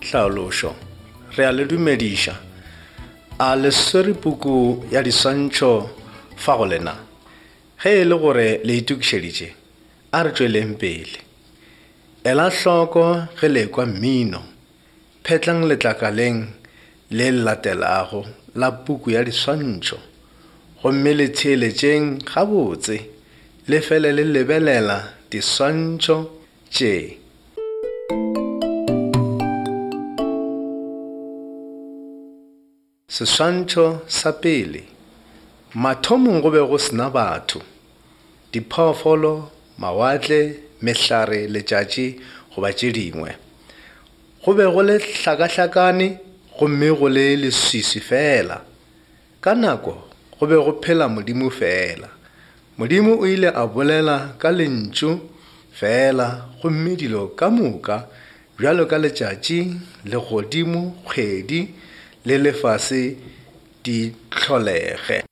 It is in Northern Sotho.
Tlhaološo. Re a le dumediša. A le swere puku ya diswantšho fa go lena? Ge e le gore le itokišeditše, a re tšweleng pele. Ela hloko ge le ekwa mmino. Phetlang letlakaleng le le latelago la puku ya diswantšho gomme le theeletšeng gabotse le fele le lebelela diswantšho tše. Seswantšho sa pele, Mathomong go be go se na batho, diphoofolo, mawatle, mehlare, letšatši goba tše dingwe. Go be go le hlakahlakane gomme go le leswiswi feela. Ka nako go be go phela Modimo feela. Modimo o ile a bolela ka lentšu feela gomme dilo ka moka bjalo ka letšatši, legodimo, kgwedi le lefase di hlolege.